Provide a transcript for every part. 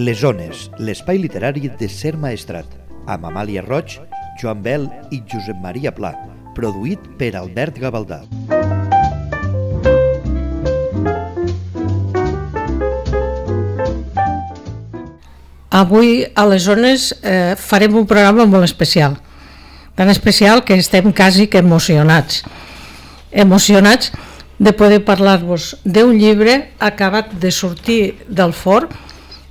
Les Ones, l'espai literari de Ser Maestrat, amb Amàlia Roig, Joan Bel i Josep Maria Pla, produït per Albert Gavaldà. Avui a les Ones farem un programa molt especial, tan especial que estem quasi que emocionats de poder parlar-vos d'un llibre acabat de sortir del forn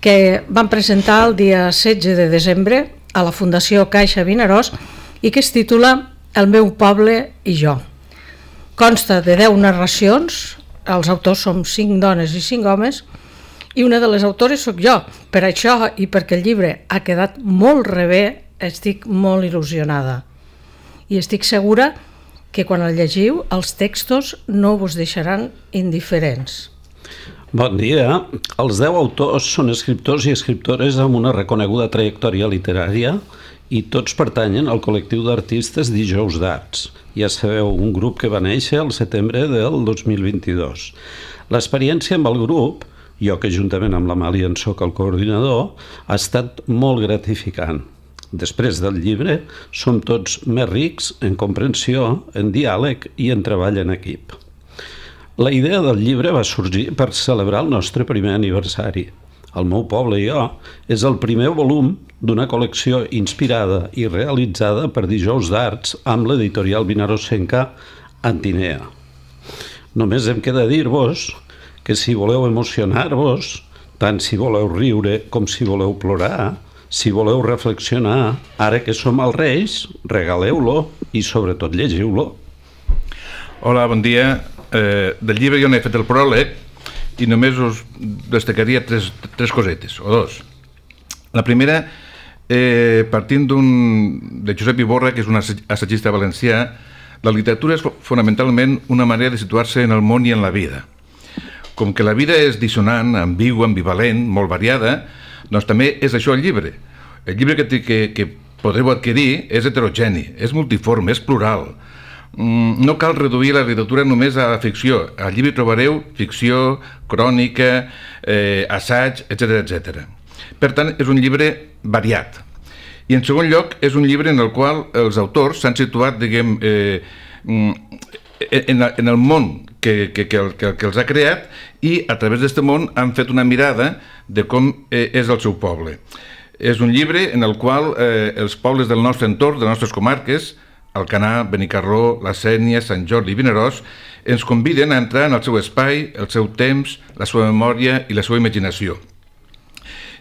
que van presentar el dia 16 de desembre a la Fundació Caixa Vinaròs i que es titula El meu poble i jo. Consta de 10 narracions, els autors som 5 dones i 5 homes, i una de les autores sóc jo. Per això i perquè el llibre ha quedat molt rebé, estic molt il·lusionada. I estic segura que quan el llegiu els textos no vos deixaran indiferents. Bon dia. Els 10 autors són escriptors i escriptores amb una reconeguda trajectòria literària i tots pertanyen al col·lectiu d'artistes Dijous d'Arts. Ja sabeu, un grup que va néixer al setembre del 2022. L'experiència amb el grup, jo que juntament amb l'Amàlia en soc el coordinador, ha estat molt gratificant. Després del llibre, som tots més rics en comprensió, en diàleg i en treball en equip. La idea del llibre va sorgir per celebrar el nostre primer aniversari. El meu poble i jo és el primer volum d'una col·lecció inspirada i realitzada per Dijous d'Arts amb l'editorial vinaròsenca Antinea. Només em queda dir-vos que si voleu emocionar-vos, tant si voleu riure com si voleu plorar, si voleu reflexionar, ara que som els Reis, regaleu-lo i sobretot llegiu-lo. Hola, bon dia. Del llibre jo n'he fet el pròleg i només us destacaria tres cosetes, o dos. La primera, partint de Josep Iborra, que és un assagista valencià, la literatura és fonamentalment una manera de situar-se en el món i en la vida. Com que la vida és dissonant, ambigua, ambivalent, molt variada, doncs també és això el llibre. El llibre que podreu adquirir és heterogeni, és multiforme, és plural. No cal reduir la literatura només a la ficció. Al llibre trobareu ficció, crònica, assaig, etc. Per tant, és un llibre variat. I en segon lloc, és un llibre en el qual els autors s'han situat, diguem, en el món que els ha creat i a través d'aquest món han fet una mirada de com és el seu poble. És un llibre en el qual els pobles del nostre entorn, de les nostres comarques, Alcanar, Benicarló, la Sénia, Sant Jordi i Vinaròs, ens conviden a entrar en el seu espai, el seu temps, la seva memòria i la seva imaginació.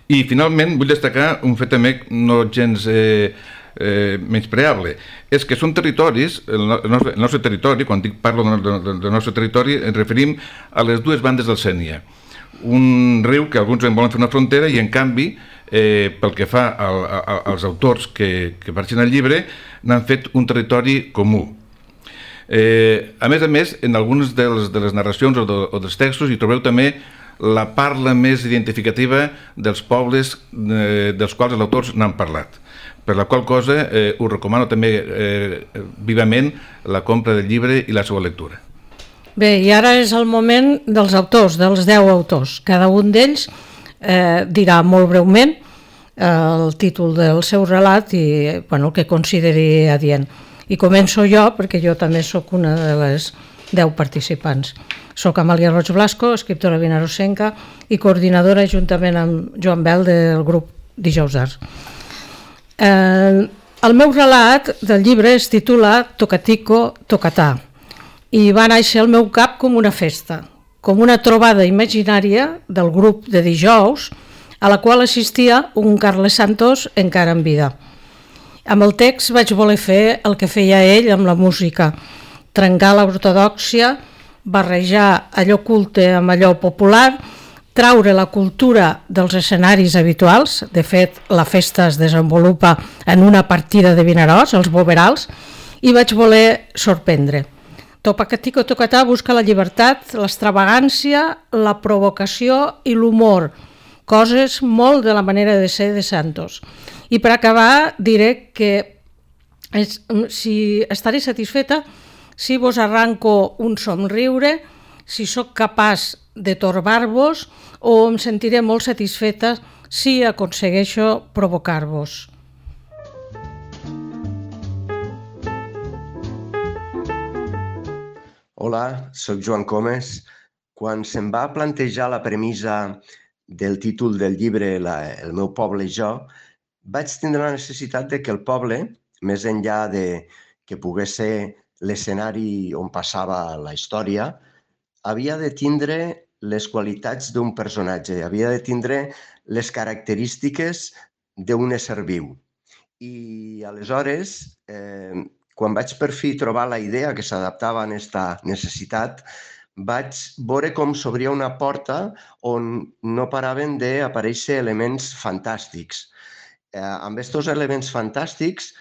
I finalment vull destacar un fet també no gens menyspreable, és que són territoris, el nostre territori, quan parlo del nostre territori, ens referim a les dues bandes del Sénia. Un riu que alguns en volen fer una frontera i en canvi, pel que fa als autors que apareixen al llibre, n'han fet un territori comú. A més, en algunes de les narracions o dels textos hi trobeu també la parla més identificativa dels pobles dels quals els autors n'han parlat. Per la qual cosa us recomano també vivament la compra del llibre i la seva lectura. Bé, i ara és el moment dels autors, dels 10 autors. Cada un d'ells dirà molt breument el títol del seu relat i el que consideri adient. I començo jo, perquè jo també sóc una de les 10 participants. Soc Amàlia Roig Blasco, escriptora vinaròsenca i coordinadora juntament amb Joan Bel del grup Dijous d'Arts. El meu relat del llibre es titula Tocatico, Tocatà i va néixer al meu cap com una festa, com una trobada imaginària del grup de dijous a la qual assistia un Carles Santos encara en vida. Amb el text vaig voler fer el que feia ell amb la música, trencar l'ortodòxia, barrejar allò culte amb allò popular, traure la cultura dels escenaris habituals. De fet, la festa es desenvolupa en una partida de Vinaròs, els Boverals, i vaig voler sorprendre. Tocatico Tocatà busca la llibertat, l'extravagància, la provocació i l'humor, coses molt de la manera de ser de Santos. I per acabar diré que estaré satisfeta si vos arranco un somriure, si sóc capaç de torbar-vos o em sentiré molt satisfeta si aconsegueixo provocar-vos. Hola, sóc Joan Comes. Quan se'm va plantejar la premissa del títol del llibre El meu poble i jo, vaig tindre la necessitat de que el poble, més enllà de que pogués ser l'escenari on passava la història, havia de tindre les qualitats d'un personatge, havia de tindre les característiques d'un ésser viu. I aleshores, quan vaig per fi trobar la idea que s'adaptava a aquesta necessitat, vaig veure com s'obria una porta on no paraven d'aparèixer elements fantàstics. Amb aquests elements fantàstics,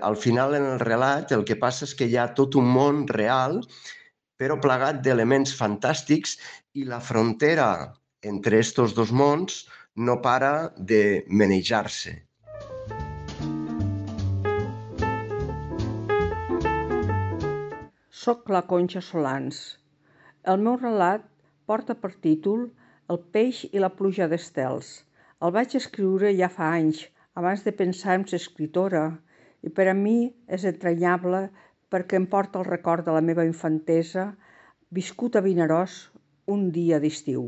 al final en el relat el que passa és que hi ha tot un món real, però plagat d'elements fantàstics, i la frontera entre aquests dos mons no para de manejar-se. Soc la Conxa Solans. El meu relat porta per títol El peix i la pluja d'estels. El vaig escriure ja fa anys, abans de pensar en ser escriptora, i per a mi és entranyable perquè em porta el record de la meva infantesa viscut a Vinaròs un dia d'estiu.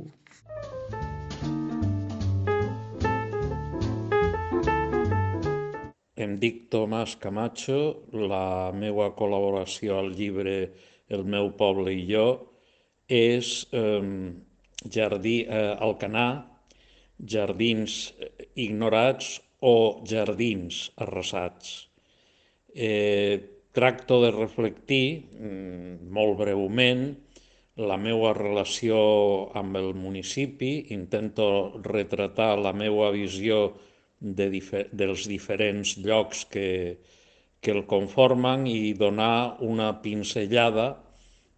Em dic Tomàs Camacho, la meva col·laboració al llibre El meu poble i jo és Jardí Alcanar, Jardins ignorats o Jardins arrasats. Tracto de reflectir, molt breument, la meva relació amb el municipi, intento retratar la meva visió dels diferents llocs que el conformen i donar una pinzellada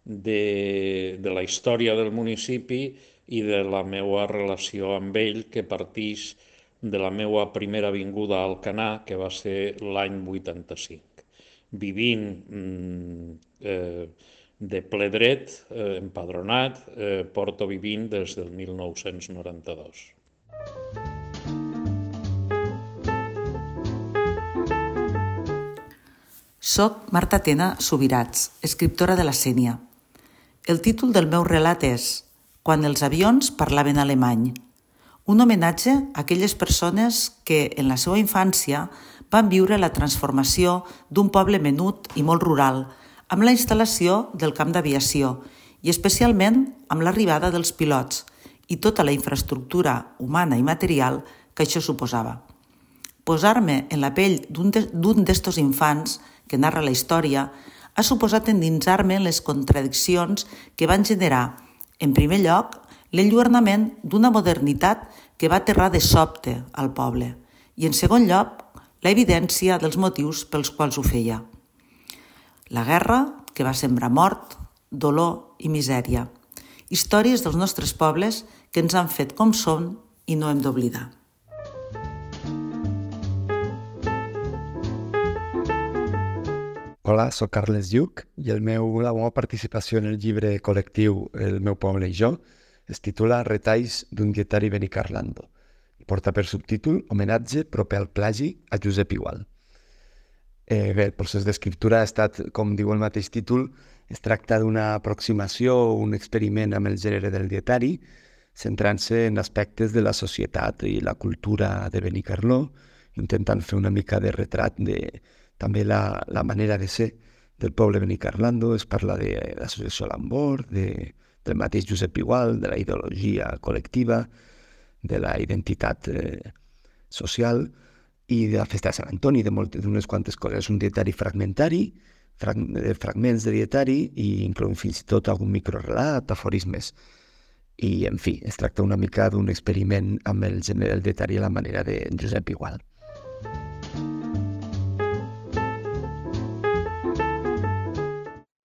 de la història del municipi i de la meva relació amb ell, que partix de la meva primera vinguda a Alcanar, que va ser l'any 85. Vivint de ple dret, empadronat, porto vivint des del 1992. Soc Marta Tena Subirats, escriptora de la Sénia. El títol del meu relat és Quan els avions parlaven alemany, un homenatge a aquelles persones que, en la seva infància, van viure la transformació d'un poble menut i molt rural, amb la instal·lació del camp d'aviació i especialment amb l'arribada dels pilots i tota la infraestructura humana i material que això suposava. Posar-me en la pell d'un d'estos infants que narra la història ha suposat endinsar-me en les contradiccions que van generar, en primer lloc, l'enlluernament d'una modernitat que va aterrar de sobte al poble i, en segon lloc, la evidència dels motius pels quals ho feia. La guerra, que va sembrar mort, dolor i misèria. Històries dels nostres pobles que ens han fet com som i no hem d'oblidar. Hola, soc Carles Lluc i la meva participació en el llibre col·lectiu El meu poble i jo es titula Retalls d'un dietari benicarlando i porta per subtítol Homenatge proper al plagi a Josep Igual. Bé, el procés d'escriptura ha estat, com diu el mateix títol, es tracta d'una aproximació o un experiment amb el gènere del dietari, centrant-se en aspectes de la societat i la cultura de Benicarló, intentant fer una mica de retrat de també la manera de ser del poble benicarlando. Es parla de l'associació Lambor, del mateix Josep Igual, de la ideologia col·lectiva, de la identitat social i de la festa de Sant Antoni, d'unes quantes coses. És un dietari fragmentari, fragments de dietari i inclou fins i tot algun microrelat, aforismes. I, en fi, es tracta una mica d'un experiment amb el gènere del dietari a la manera de Josep Igual.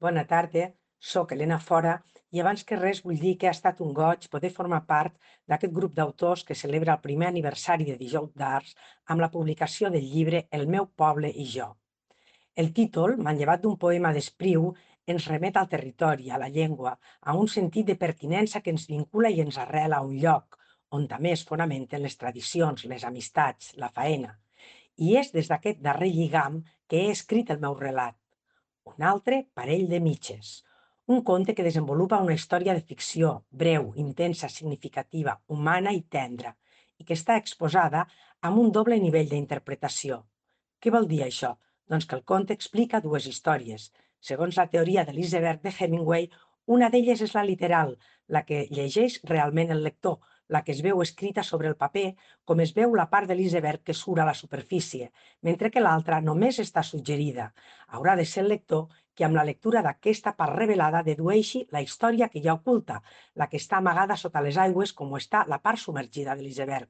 Bona tarda, soc Helena Fora i abans que res vull dir que ha estat un goig poder formar part d'aquest grup d'autors que celebra el primer aniversari de Dijous d'Arts amb la publicació del llibre El meu poble i jo. El títol, manllevat d'un poema d'Espriu, ens remet al territori, a la llengua, a un sentit de pertinença que ens vincula i ens arrela a un lloc, on també es fonamenten les tradicions, les amistats, la faena. I és des d'aquest darrer lligam que he escrit el meu relat. Un altre parell de mitges. Un conte que desenvolupa una història de ficció, breu, intensa, significativa, humana i tendra, i que està exposada amb un doble nivell d'interpretació. Què vol dir això? Doncs que el conte explica dues històries. Segons la teoria de l'iceberg de Hemingway, una d'elles és la literal, la que llegeix realment el lector, la que es veu escrita sobre el paper, com es veu la part de l'iceberg que surt a la superfície, mentre que l'altra només està suggerida. Haurà de ser el lector que amb la lectura d'aquesta part revelada dedueixi la història que hi ha oculta, la que està amagada sota les aigües com està la part submergida de l'iceberg.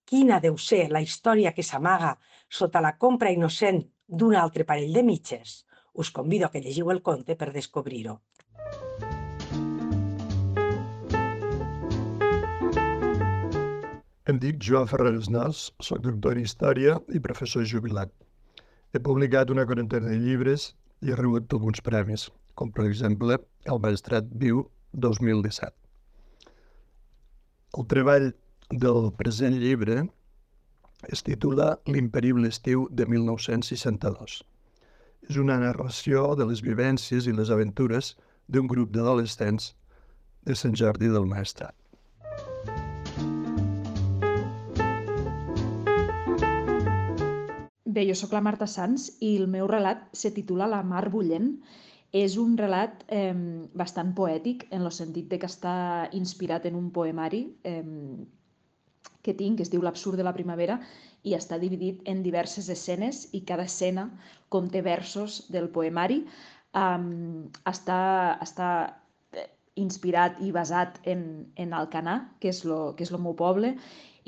Quina deu ser la història que s'amaga sota la compra innocent d'un altre parell de mitges? Us convido a que llegiu el conte per descobrir-ho. Em dic Joan Ferreres Nas, soc doctor en Història i professor jubilat. He publicat una quarantena de llibres i he rebut alguns premis, com per exemple el Maestrat Viu 2017. El treball del present llibre es titula L'imperible estiu de 1962. És una narració de les vivències i les aventures d'un grup d'adolescents de Sant Jordi del Maestrat. Bé, jo sóc la Marta Sans i el meu relat se titula La mar bullent. És un relat bastant poètic, en el sentit que està inspirat en un poemari que tinc, que es diu L'absurd de la primavera, i està dividit en diverses escenes i cada escena conté versos del poemari. Està inspirat i basat en Alcanar, que és el meu poble,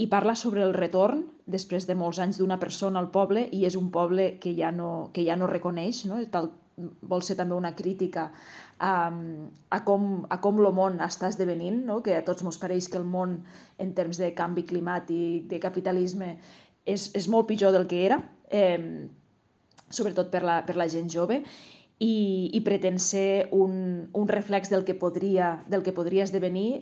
i parla sobre el retorn, després de molts anys, d'una persona al poble, i és un poble que ja no reconeix, no? Vol ser també una crítica a com el món està esdevenint, no? Que a tots ens pareix que el món, en termes de canvi climàtic, de capitalisme, és molt pitjor del que era, sobretot per la gent jove, i pretén ser un reflex del que podria esdevenir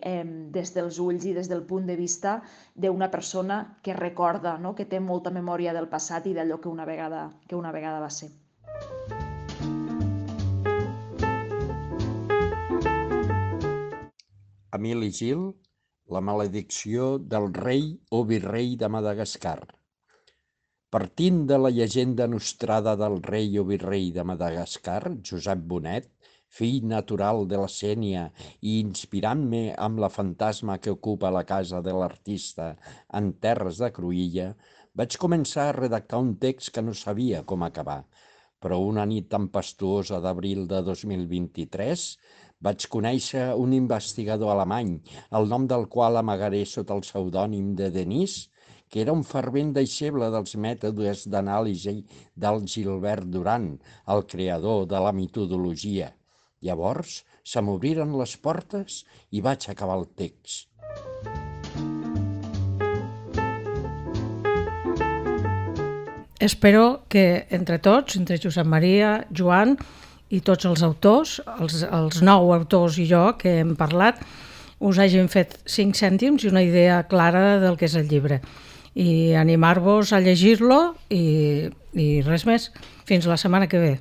des dels ulls i des del punt de vista d'una persona que recorda, no? Que té molta memòria del passat i d'allò que una vegada va ser. Emili Gil, La maledicció del rei o virrei de Madagascar. Partint de la llegenda nostrada del rei o virrei de Madagascar, Josep Bonet, fill natural de la Sénia i inspirant-me amb la fantasma que ocupa la casa de l'artista en terres de Cruïlla, vaig començar a redactar un text que no sabia com acabar, però una nit tempestuosa d'abril de 2023 vaig conèixer un investigador alemany, el nom del qual amagaré sota el pseudònim de Denis, que era un fervent deixeble dels mètodes d'anàlisi del Gilbert Durand, el creador de la metodologia. Llavors, se m'obriren les portes i vaig acabar el text. Espero que entre tots, entre Josep Maria, Joan i tots els autors, els 9 autors i jo que hem parlat, us hagin fet 5 cèntims i una idea clara del que és el llibre. I animar-vos a llegir-lo i res més. Fins la setmana que ve.